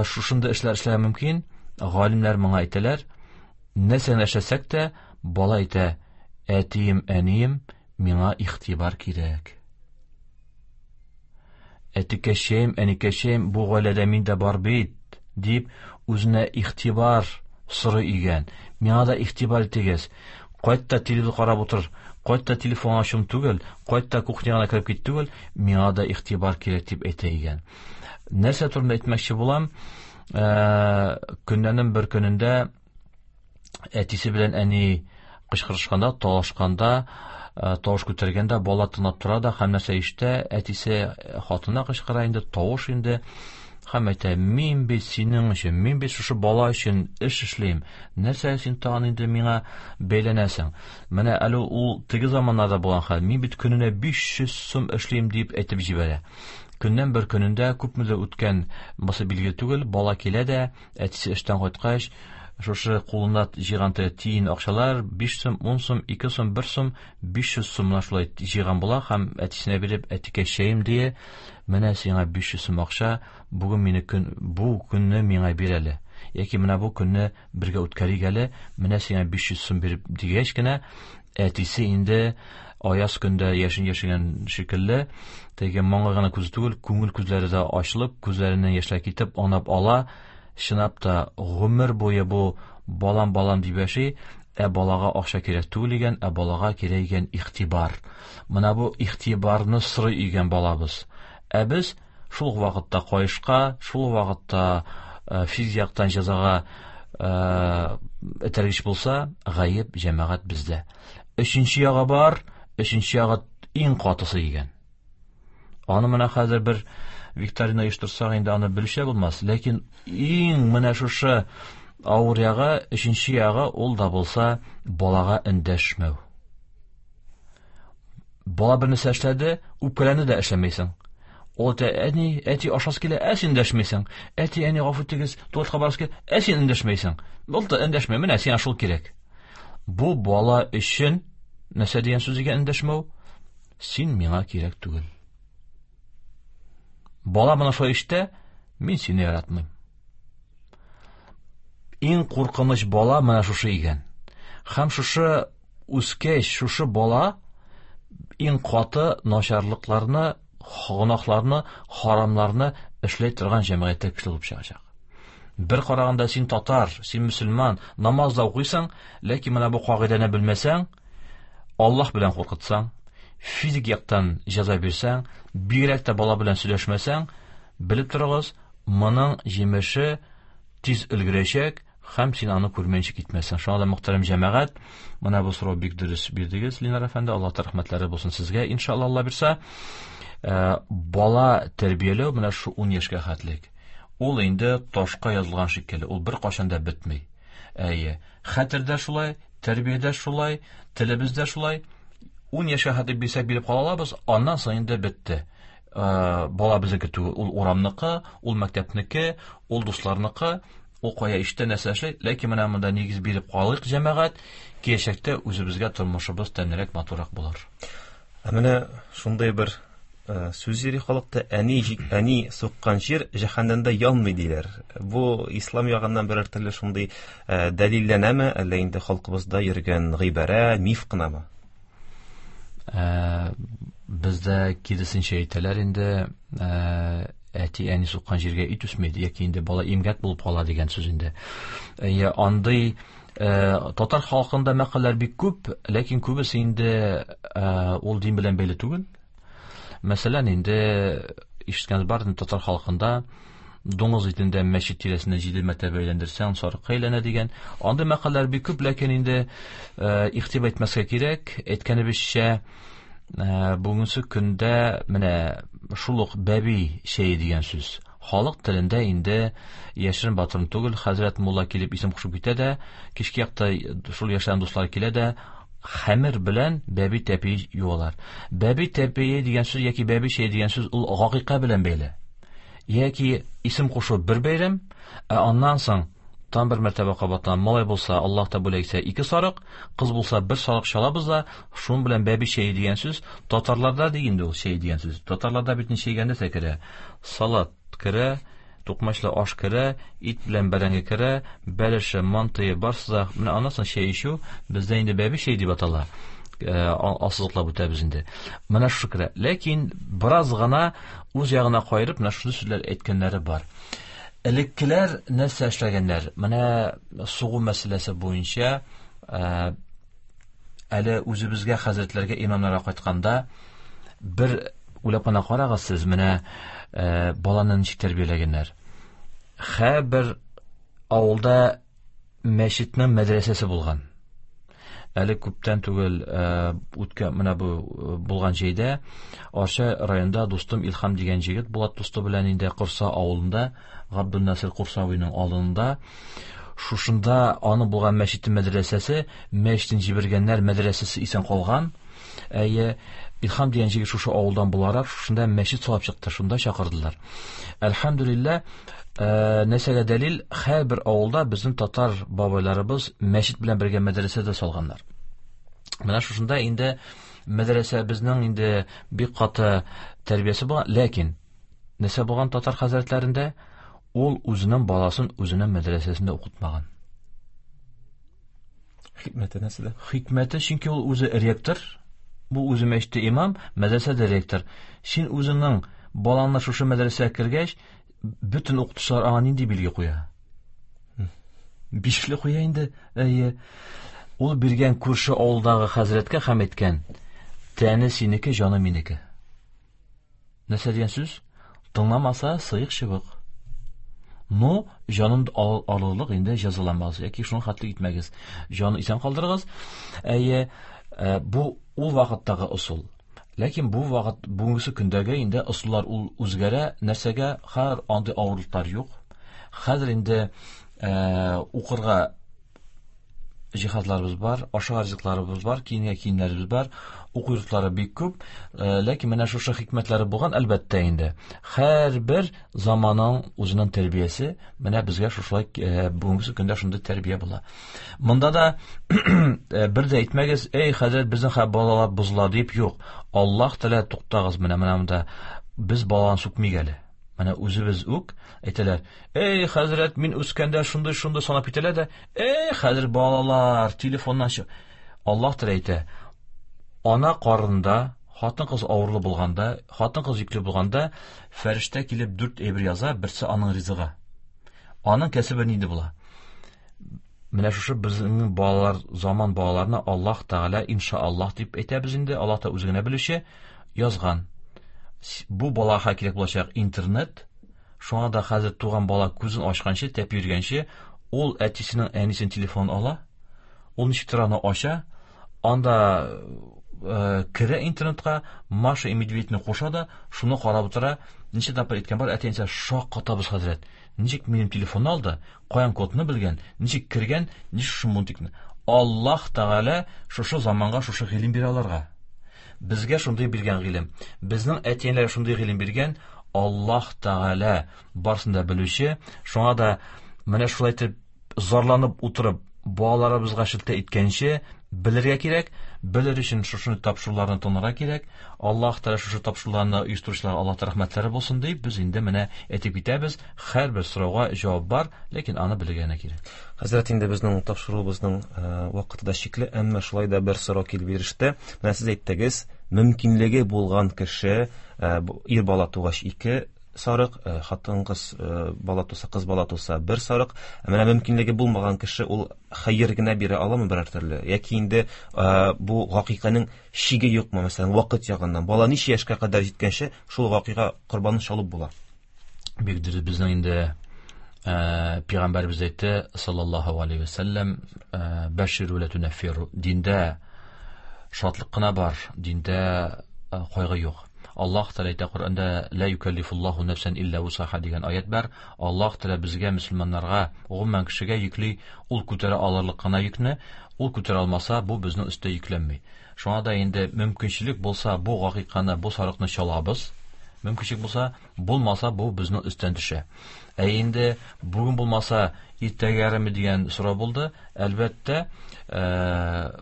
S5: шушындый эшләр эшләргә мөмкин? Галимнәр моңа әйтәләр, нәрсәне эшләсәк тә, бала әйтә, әтием, әнием, миңа игътибар кирәк. Әтикәшем, әникәшем, бу гаиләдә мин дә бар бит, дип үзенә игътибар сорый игән. Миңа да игътибар итегез. Кайт та телевизор карап утыр, кайт та телефон ачым түгел, кайт та кухняга кереп кит түгел, миңа да игътибар кирәк дип әйтә игән. Нәрсә турында әйтмәкче булам? Көннәрнең бер көнендә әтисе белән әни кычкырышканда, талашканда, тавыш күтәргәндә бала тынап тора да һәм нәрсә ишетә, әтисе хатынына кычкыра инде, тавыш инде, һәм әйтә, мин бит синең өчен, мин бит шушы бала өчен эш эшлим, нәрсә син тагын инде миңа бәйләнәсең? Менә әле ул теге заманнарда булган хәл, мин бит көненә 500 сум эшлим дип әйтеп җибәрә. Көннән бер көнендә күпмедер үткән, бусы билгеле түгел, бала килә дә, әтисе эштән кайткач, шушы кулына җыйган тиен акчалар 5 сум, 10 сум, 2 сум, 1 сум, 500 сумнан шулай җыйган була һәм әтисенә биреп, әтикәшәем дие, менә сиңа 500 сум акча, бүген мине көн, бу көнне миңа бир әле. Яки менә бу көнне бергә үткәрик әле, менә сиңа 500 сум биреп дигәч кенә, әтисе инде аяз көндә яшен яшәгән шикелле, теге маңгай гына күзе түгел, күңел күзләре дә ачылып, күзләреннән яшьләр китеп, анап ала. Чынлап та гомер буе бу балам-балам дип яши, ә балага акча кирәк түгел икән, ә балага кирәк икән игътибар. Менә бу игътибарны сорый икән балабыз. Ә без шул вакытта кайышка, шул вакытта физик яктан җәзага этәргеч булса, гаеп җәмәгать бездә. Өченче ягы бар, өченче ягы иң катысы икән. Аны менә хәзер бер викторина оештырсак инде аны белүче булмас, ләкин иң менә шушы авыр ягы, өченче ягы ул да булса балага эндәшмәү. Бала бер нәрсә эшләде, үпкәләнде дә эшләмәйсең. Ул әйтә, әни, әти ашасы килә, ә син эндәшмәйсең. Әти, әни, гафу итегез, туалетка барасы килә, ә син эндәшмәйсең. Ул да эндәшмәй, менә сиңа шул кирәк. Бу бала өчен нәрсә дигән сүз икән эндәшмәү? Син миңа кирәк түгел. Бала моны шулай ишетә, мин сине яратмыйм. Иң куркыныч бала менә шушы икән. Һәм шушы үскәч, шушы бала иң каты начарлыкларны, гөнаһларны, харамларны эшләй торган җәмгыятьтә кеше булып чыгачак. Бер караганда син татар, син мөселман, намаз да укыйсың, ләкин менә бу кагыйдәне белмәсәң, Аллаһ белән куркытсаң, физик яктан җәза бирсәң, бигрәк тә бала белән сөйләшмәсәң, белеп торыгыз, моның җимеше тиз өлгерәчәк һәм син аны күрмәенчә китмәссең. Шуңа да, мөхтәрәм җәмәгать, менә бу сорау бик дөрес бирдегез, Ленар әфәнде, Аллаһ рәхмәтләре булсын сезгә, иншалла, Алла бирсә. Бала тәрбияләү менә шу 10 яшькә хәтлек. Ул инде ташка язылган шикелле, ул беркайчан да бетми. Әйе, хәтердә шулай, тәрбиядә шулай, телебездә шулай. 10 яшькә хәтлек бирсәк биреп кала алабыз, аннан соң инде бетте. Бала безнеке түгел, ул урамныкы, ул мәктәпнеке, ул дусларныкы, ул кая ишетә, нәрсә эшли. Ләкин менә монда нигез биреп калыйк, җәмәгать, киләчәктә үзебезгә тормышыбыз тәмлерәк, матуррак булыр.
S4: Ә менә шундый бер сүз йөри халыкта, әни суккан җир җәһәннәмдә янмый диләр. Бу ислам ягыннан берәр төрле шундый дәлилләнәме, әллә инде халкыбызда йөргән гыйбарә, миф кынамы?
S5: Бездә киресенчә әйтәләр инде, әти-әни суккан җиргә ит үсми, яки инде бала имгәк булып кала дигән сүз инде. Андый татар халкында мәкальләр бик күп, ләкин күбесе инде ул дин белән бәйле түгел. Мәсәлән, инде ишеткәнегез бар, татар халкында дуңгыз итендә мәчет тирәсендә 7 мәртәбә әйләндерсәң, сарыкка әйләнә дигән. Андый мәкальләр бик күп, ләкин инде игътибар итмәскә кирәк. Әйткәнебезчә, бүгенге көндә менә шул ук бәби чәе дигән сүз. Халык телендә инде яшерен батырын түгел, хәзрәт мулла килеп исем кушып китә дә, кичке якта шул яшьләрнең дуслары килә дә, Хәмер белән бәби тәпие юалар. Бәби тәпие дигән сүз яки бәби чәе дигән сүз ул гакыйка белән бәйле. Яки исем кушу бер бәйрәм, ә аннан соң там бер мәртәбә кабатлана. Малай булса, Аллаһ та бүләк итсә, 2 сарык, кыз булса 1 сарык чалабыз да, шуның белән бәби чәе дигән сүз татарларда ди инде ул чәй дигән сүз. Татарларда бит ничә нәрсә керә? Салат керә, тукмачлы аш керә, ит белән бәрәңге керә, бәлеше, мантые барсы да. Менә аннан соң чәй эчү бездә инде бәби чәй дип атала. Асызыклап үтәбез инде. Менә шушы керә. Ләкин бераз гына үз ягына кайырып, менә шушы сүзләр әйткәннәре бар. Элеккеләр нәрсә эшләгәннәр? Менә сугу мәсьәләсе буенча әле үзебезгә хәзрәтләргә, имамнарга кайтканда бер уйлап кына карагыз сез, менә баланы ничек тәрбияләгәннәр. Һәрбер авылда мәчетнең мәдрәсәсе булган. Әле күптән түгел үткән менә бу булган җәйдә Арча районында дустым Илһам дигән җегет Булат дусты белән инде Курса авылында, Габдулнасир Курсавиның алдында, шушында аны булган мәчетнең мәдрәсәсе, мәчетен җибәргәннәр, мәдрәсәсе исән калган. Әйе, Илһам дигән җегет шушы авылдан буларак, шушында мәчет салып чыкты, шунда чакырдылар. Әлхәмдүлилләһ, нәрсәгә дәлил, һәрбер авылда безнең татар бабайларыбыз мәчет белән бергә мәдрәсә дә салганнар. Менә шушында инде мәдрәсә безнең инде бик каты тәрбиясе булган, ләкин нәрсә булган татар хәзрәтләрендә, ул үзенең баласын үзенең мәдрәсәсендә укытмаган.
S4: Хикмәте нәрсәдә?
S5: Хикмәте, чөнки ул үзе ректор, бу үзе мәчеттә имам, мәдрәсәдә ректор. Син үзеңнең балаңны шушы мәдрәсәгә кергәч, бөтен укытучылар аңа нинди билге куя? Бишле куя инде. Әйе. Ул биргән күрше авылдагы хәзрәткә һәм әйткән: "Тәне синеке, җаны минеке." Нәрсә дигән сүз? Тыңламаса, сыек чыбык. Но җанын алырлык инде җәзаламагыз, яки шуның хәтле итмәгез. Җанын исән калдырыгыз. Әйе, бу ул вакыттагы ысул. Ләкин бу вакыт, бүгенге көндәге инде ысуллар ул үзгәрә. Нәрсәгә? Хәзер андый авырлыклар юк. Хәзер инде укырга җиһазларыбыз бар, ашарга ризыкларыбыз бар, киенгә киемнәребез бар, уку йортлары бик күп. Ләкин менә шушы хикмәтләре булган, әлбәттә инде. Һәрбер заманның үзенең тәрбиясе, менә безгә шушылай бүгенге көндә шундый тәрбия була. Монда да бер дә әйтмәгез, эй, хәзрәт, безнең хәзер балалар бозыла дип, юк. Аллаһ Тәгалә, туктагыз, менә монда без баланы сүкмик әле. Менә үзебез үк әйтәләр, эй, хәзрәт, мин үскәндә шундый-шундый санап китәләр дә, эй, хәзер балалар телефоннан чык. Аллаһ Тәгалә әйтә, ана карынында хатын-кыз авырлы булганда, хатын-кыз йөкле булганда, фәрештә килеп 4 әйбер яза, берсе аның ризыгы. Аның кәсебе нинди була? Менә шушы безнең балалар, заман балаларына Аллаһ Тәгалә иншааллаһ дип әйтәбез инде, Аллаһ та үзе генә белүче, язган. Бу балага кирәк булачак интернет, шуңа да хәзер туган бала күзен ачканчы, тәпи йөргәнче, ул әтисенең, әнисенең телефонын ала, ул ничектер аны ача, анда керә интернетка, Маша и Медведьне куша да, шуны карап утыра. Ничә тапкыр әйткән бар, әти-әнисе шаккатабыз, хәзрәт. Ничек минем телефонны алды, каян кодны белгән, ничек кергән, ничек шушы мультикны. Аллаһ Тәгалә шушы заманга шушы гыйлем бирә аларга. Безгә шундый биргән гыйлем. Безнең әти-әниләр шундый гыйлем биргән. Аллаһ Тәгалә барсын да белүче. Шуңа да менә шулай итеп зарланып утырып балаларыбызга шелтә иткәнче белергә кирәк. Белер өчен шушы тапшыруларны тыңларга кирәк. Аллаһ Тәгалә шушы тапшыруларны оештыручыларга Аллаһ Тәгалә рәхмәтләре булсын дип без инде менә әйтеп китәбез. Һәрбер сорауга җавап бар, ләкин аны белергә генә кирәк.
S4: Хәзрәт, инде безнең тапшыруыбызның вакыты да чикле, әмма шулай да бер сорау килеп иреште. Менә сез әйттегез, мөмкинлеге булган кеше, ир бала тугач 2 сарык, хатын-кыз бала туса, кыз бала туса 1 сарык. Ә менә мөмкинлеге булмаган кеше ул хәер генә бирә аламы берәр төрле? Яки инде бу гакыйканың чиге юкмы, мәсәлән, вакыт ягыннан? Бала ничә яшькә кадәр җиткәнче шул гакыйка корбанын чалып була?
S5: Бик дөрес, безнең инде пәйгамбәребез әйтте, саллаллаһу алейхи ва сәлләм, бәширу ла тунаффиру. Диндә шатлык кына бар, диндә кайгы юк. Аллаһ Тәгалә әйтә Коръәндә ла юкаллифуллаһу нәфсән илля вусаха дигән аят бар. Аллаһ Тәгалә безгә мөселманнарга, гомумән кешегә йөкли, ул күтәрә алырлык кына йөкне, ул күтәрә алмаса, бу безнең өстә йөкләнми. Шуңа да инде мөмкинчелек булса, бу гакыйканы, бу сарыкны чалабыз. Мөмкинчелек булса, булмаса, бу безнең өстән төшә. Ә инде бүген булмаса, иртәгә ярыймы дигән сорау булды. Әлбәттә,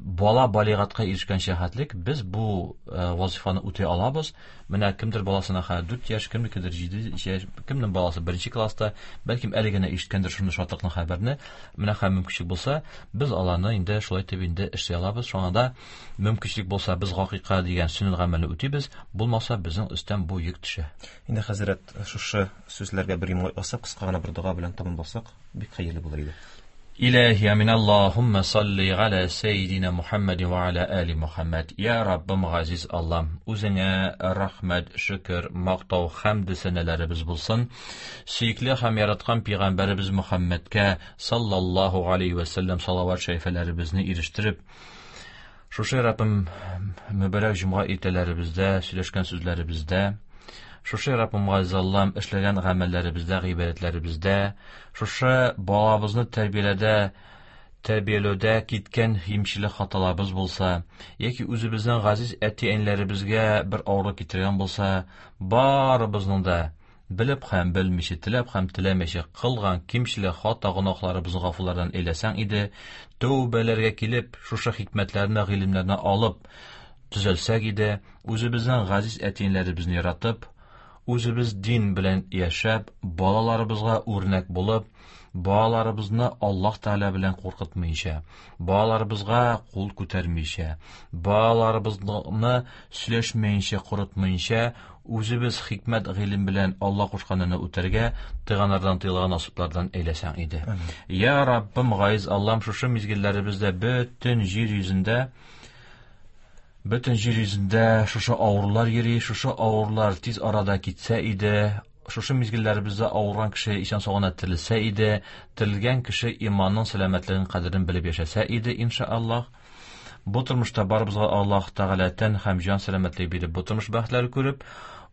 S5: бала балигатка ирешкәнчә хәтлек без бу вазифаны үти алабыз. Менә кемдер баласына хәзер 4 яшь, кемнекедер 7 яшь, кемнең баласы беренче класста, бәлкем әле генә ишеткәндер шундый шатлыклы хәбәрне. Менә хәзер мөмкинчелек булса, без аларны инде шулай итеп инде эшли алабыз. Шуңа да мөмкинчелек булса, без гакыйка дигән сөннәт гамәлне үтибез, булмаса, безнең өстән бу йөк төшә.
S4: Инде хәзрәт, шушы сүзләргә бер йомгак ясап, кыска гына бер дога белән тәмамласак, бик хәерле булыр иде.
S5: Илаһи амин Аллаһумма салли галя сәйдина Мухаммад ва аля али Мухаммад. Я Раббым газиз Аллам, үзеңә рәхмәт, шөкер, мактау, хәмд сәнәләребез булсын. Сөекле һәм яраткан пәйгамбәребез Мухаммадка саллаллаһу алейхи ва сәлләм салават шәрифәләребезне ирештереп, шушы Раббым мөбарәк җомга иртәләребездә, сөйләшкән сүзләребездә, шушы Раббым газиз Аллам эшләгән гамәлләребездә, гыйбадәтләребездә, шушы балабызны тәрбияләүдә киткән кимчелек хаталарыбыз булса, яки үзебезнең газиз әти-әниләребезгә бер авырлык китергән булса, барыбызның да белеп һәм белмичә, теләп һәм теләмичә кылган кимчелек хата гөнаһларыбызны гафулардан әйләсәң иде, тәүбәләргә килеп, шушы хикмәтләрне, гыйлемнәрне алып төзәлсәк иде, үзебезнең газиз әти-әниләребезне яратып, үзебез дин белән яшәп, балаларыбызга үрнәк булып, балаларыбызны Аллаһ Тәгалә белән куркытмыйча, балаларыбызга кул күтәрмичә, балаларыбызны сөйләшмәенчә, корытмыйча, үзебез хикмәт гыйлем белән Аллаһ кушканны үтәргә, тыйганнардан тыелган насыплардан әйләсәң иде. Я Раббым, газиз Аллам, шушы мизгелләребездә бөтен җир йөзендә шушы авырулар йөри, шушы авырулар тиз арада китсә иде, шушы мизгелләребездә авырган кеше исән сау гына терелсә иде, терелгән кеше иманның сәламәтлеген кадерен белеп яшәсә иде, иншааллаһ. Бу тормышта барыбызга Аллаһ Тәгалә тән һәм җан сәламәтлеге биреп, бу тормыш бәхетләре күреп,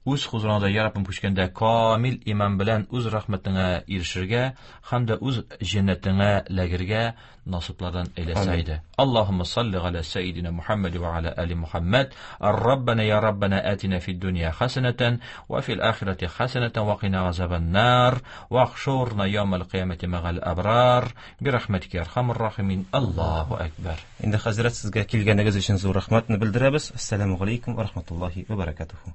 S5: үз хузурыңда я Раббым күчкәндә камил иман белән үз рәхмәтеңә ирешергә һәм дә үз җәннәтеңә ләгергә насыплардан әйләсә иде. Аллаһумма салли галя сәйдина Мухаммад ва аля али Мухаммад. Раббана я Раббана атина фид дунья хасанатан ва фил ахирати хасанатан ва кина азабан нар ва ахшурна яумал кыямати магал абрар би рахматика я архамар рахимин. Аллаһу акбар.
S4: Инде хәзрәт, сезгә килгәнегез өчен зур рәхмәтне белдерәбез. Ассаламу алейкум ва рахматуллахи ва баракатуху.